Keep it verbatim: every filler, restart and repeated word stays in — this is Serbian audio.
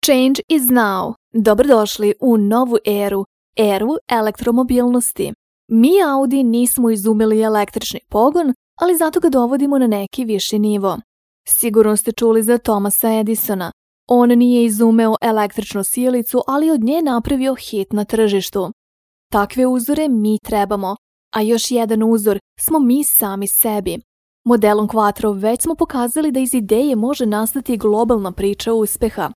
Change is now. Dobrodošli u novu eru, eru elektromobilnosti. Mi Audi nismo izumili električni pogon, ali zato ga dovodimo na neki viši nivo. Sigurno ste čuli za Thomasa Edisona. On nije izumeo električnu sijalicu, ali od nje napravio hit na tržištu. Takve uzore mi trebamo, a još jedan uzor smo mi sami sebi. Modelom Quattro već smo pokazali da iz ideje može nastati globalna priča uspeha.